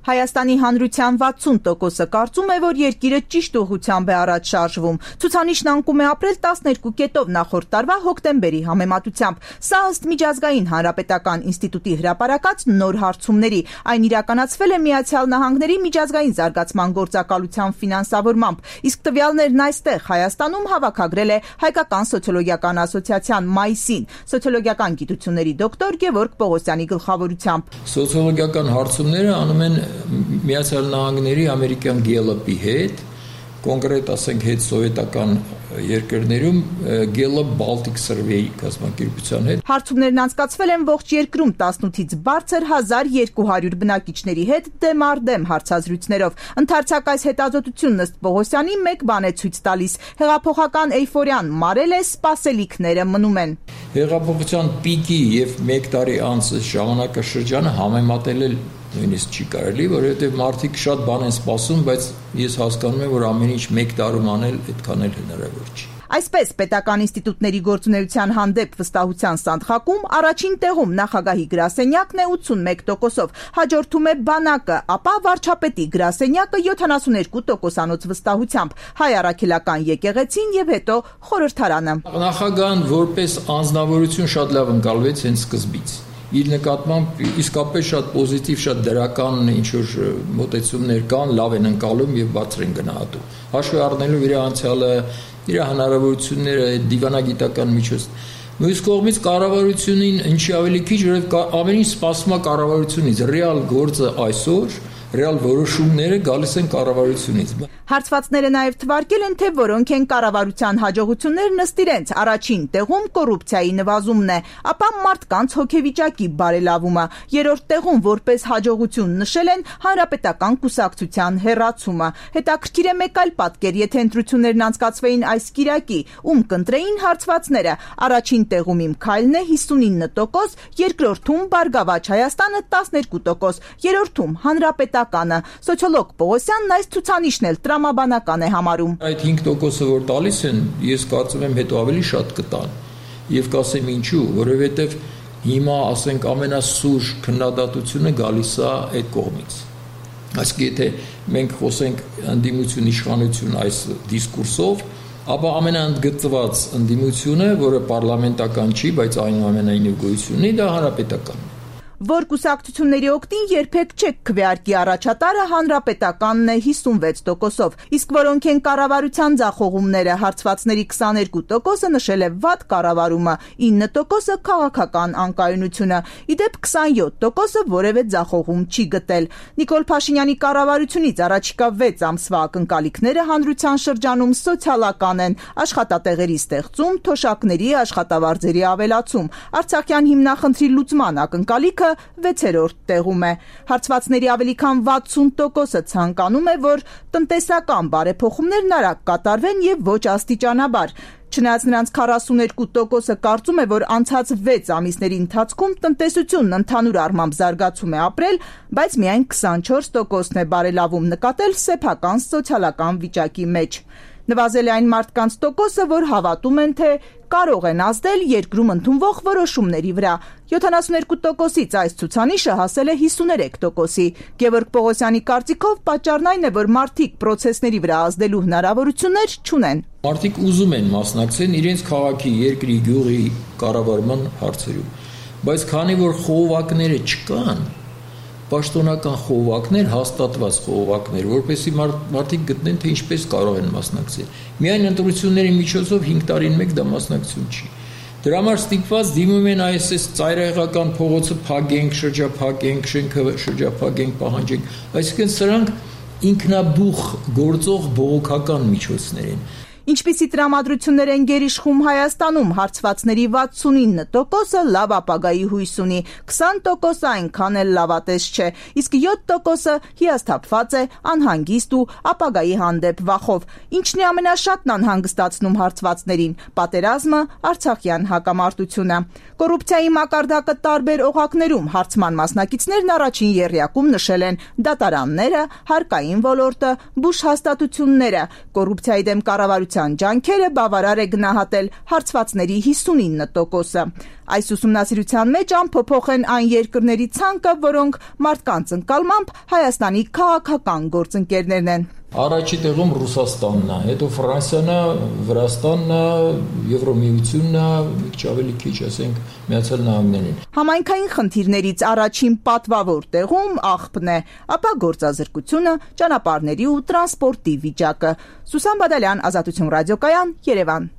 Հայաստանի հանրության 60%-ը կարծում է, որ երկիրը ճիշտ ուղղությամբ է առաջ շարժվում։ Ցուցանիշն անկում է ապրել 12 կետով նախորդ տարվա հոկտեմբերի համեմատությամբ։ Սա ըստ Միջազգային հանրապետական ինստիտուտի հրապարակած նոր հարցումների։ Այն իրականացվել է Միացյալ Նահանգների միջազգային զարգացման գործակալության ֆինանսավորմամբ։ Իսկ տվյալներն այստեղ Հայաստանում հավաքագրել է Հայկական սոցիոլոգիական ասոցիացիան մայիսին սոցիոլոգիական գիտությունների դոկտոր Գևորգ Պողոսյանի գլխավորությամբ։ Սոցիոլոգիական հարցումները անում են Միացյալ Նահանգների ամերիկյան Gallup-ի հետ, կոնկրետ ասենք հետ սովետական երկրներում Gallup Baltic Survey կազմակերպության հետ։ Հարցումներն անցկացվել են ողջ երկրում 18-ից բարձր 1200 բնակիչների հետ դեմ առ դեմ հարցազրույցներով։ Ընդարձակ այս հետազոտությունն ըստ Պողոսյանի մեկ բան է ցույց տալիս. հեղափոխական էյֆորիան մարել է, սպասելիքները մնում են։ Հեղափոխության պիկի եւ 1 տարի անց ժամանակաշրջանը համեմատել նույնիսկ չի կարելի, որովհետև մարդիկ շատ բան են սպասում, բայց ես հասկանում եմ, որ ամեն ինչ 1 տարում անել այդքան էլ հնարավոր չի։ Այսպես, պետական ինստիտուտների գործունեության հանդեպ վստահության սանդղակում առաջին տեղում նախագահի գրասենյակն է 81%-ով, հաջորդում է բանակը, ապա վարչապետի գրասենյակը 72%-անոց վստահությամբ, հայ առաքելական եկեղեցին եւ հետո խորհրդարանը։ Նախագահն որպես անձնավորություն շատ լավ ընկալվեց հենց սկզբից։ Իր նկատմամբ իսկապես շատ պոզիտիվ, շատ դրական ինչ-որ մոտեցումներ կան, լավ են ընկալում եւ բարձր են գնահատում։ Հաշվի առնելով իր անցյալը, իր հնարավորությունները, դիվանագիտական միջոց։ Մյուս կողմից կառավարությունին ինչի ավելի քիչ, որովհետեւ ամեն ինչ սպասում է կառավարությունից, ռեալ գործը այսօր ռեալ որոշումները գալիս են կառավարությունից։ Հարցվածները նաև թվարկել են, թե որոնք են կառավարության հաջողություններն ըստ իրենց։ Առաջին տեղում կոռուպցիայի նվազումն է, ապա մարդկանց հոգեվիճակի բարելավումը։ Երրորդ տեղում որպես հաջողություն նշել են հանրապետական կուսակցության հեռացումը։ Հետաքրքիր է մեկ այլ պատկեր, եթե ընտրություններն անցկացվեին այս կիրակի, ում կընտրեին հարցվածները։ Առաջին տեղում Իմ քայլն է 59%, երկրորդում Բարգավաճ Հայաստանը 12%, երրորդում Հանրապետականը։ Սոցիոլոգ Պողոսյանն այս ցուցանիշն էլ տրամաբանական է համարում։ Այդ 5%-ը որ տալիս են, ես կարծում եմ հետո ավելի շատ կտան։ Եվ կասեմ ինչու, որովհետև հիմա ասենք ամենասուր քննադատությունը գալիս է այդ կողմից։ Այսինքն եթե մենք խոսենք ընդդիմություն իշխանություն այս դիսկուրսով, ապա ամենաընդգծված ընդդիմությունը, որը պարլամենտական չի, բայց այնուամենայնիվ գոյություն ունի, դա հանրապետականն է։ Որ կուսակցությունների օգտին երբեք չեք քվեարկի առաջատարը հանրապետականն է 56%-ով, իսկ որոնք են կառավարության ձախողումները, հարցվածների 22%-ը նշել է վատ կառավարումը, 9%-ը քաղաքական անկայունությունը, իդեպ 27%-ը որևէ ձախողում չի գտել։ Նիկոլ Փաշինյանի կառավարությունից առաջիկա 6 ամսվա ակնկալիքները հանրության շրջանում սոցիալական են, աշխատատեղերի ստեղծում, թոշակների, աշխատավարձերի ավելացում, Արցախյան հիմնախնդրի լուծման ակնկալիքը 6-րդ տեղում է։ Հարցվածների ավելի քան 60%-ը ցանկանում է, որ տնտեսական բարեփոխումներն արագ կատարվեն եւ ոչ աստիճանաբար։ Չնայած նրանց 42%-ը կարծում է, որ անցած 6 ամիսների ընթացքում տնտեսությունն ընդհանուր առմամբ զարգացում է ապրել, բայց միայն 24%-ն է բարելավում նկատել սեփական սոցիալական վիճակի մեջ։ Նվազել է այն մարդկանց տոկոսը, որ հավատում են, թե կարող են ազդել երկրում ընդունվող որոշումների վրա։ 72%-ից այս ցուցանիշը հասել է 53%-ի։ Գևորգ Պողոսյանի կարծիքով պատճառն այն է, որ մարդիկ պրոցեսների վրա ազդելու հնարավորություններ չունեն։ Մարդիկ ուզում են մասնակցել իրենց քաղաքի, երկրի, գյուղի կառավարման հարցերում, բայց քանի որ խողովակները չկան, պաշտոնական խողովակներ, հաստատված խողովակներ, որպեսզի մարդիկ գտնեն, թե ինչպես կարող են մասնակցել։ Միայն ընտրությունների միջոցով 5 տարին մեկ դա մասնակցություն չի։ Դրա համար ստիպված դիմում են այս ծայրահեղական փողոցը փակենք, շրջափակենք, շենքը շրջափակենք, պահանջենք։ Այսինքն սրանք ինքնաբուխ գործող բողոքական միջոցներ են։ Ինչպիսի տրամադրություններ են գերիշխում Հայաստանում, հարցվածների 69%-ը լավ ապագայի հույս ունի, 20%-ը այնքան էլ լավատես չէ, իսկ 7%-ը հիասթափված է, անհանգիստ ու ապագայի հանդեպ վախով։ Ինչն է ամենաշատն անհանգստացնում հարցվածներին՝ պատերազմը, արցախյան հակամարտությունը։ Կոռուպցիայի մակարդակը տարբեր օղակներում հարցման մասնակիցներն առաջին եռյակում նշել են դատարանները, հարկային ոլորտը, բուժհաստատությունները, կոռուպցիայի դեմ կառավարության կառավարության ջանքերը բավարար է գնահատել հարցվածների 59%-ը։ Այս ուսումնասիրության մեջ ամփոփող են այն երկրների ցանկը, որոնք մարդկանց ընկալմամբ Հայաստանի քաղաքական գործընկերներն են։ Առաջի տեղում Ռուսաստանն է, հետո Ֆրանսիան է, Վրաստանն է, Եվրոմիությունն է, մի քիչ ավելի քիչ, ասենք, Միացյալ Նահանգներն։ Համայնքային խնդիրներից առաջին պատվավոր տեղում աղբն է, ապա գործազրկությունը, ճանապարհների ու տրանսպորտի վիճակը։ Սուսան Բադալյան, Ազատություն ռադիոկայան, Երևան։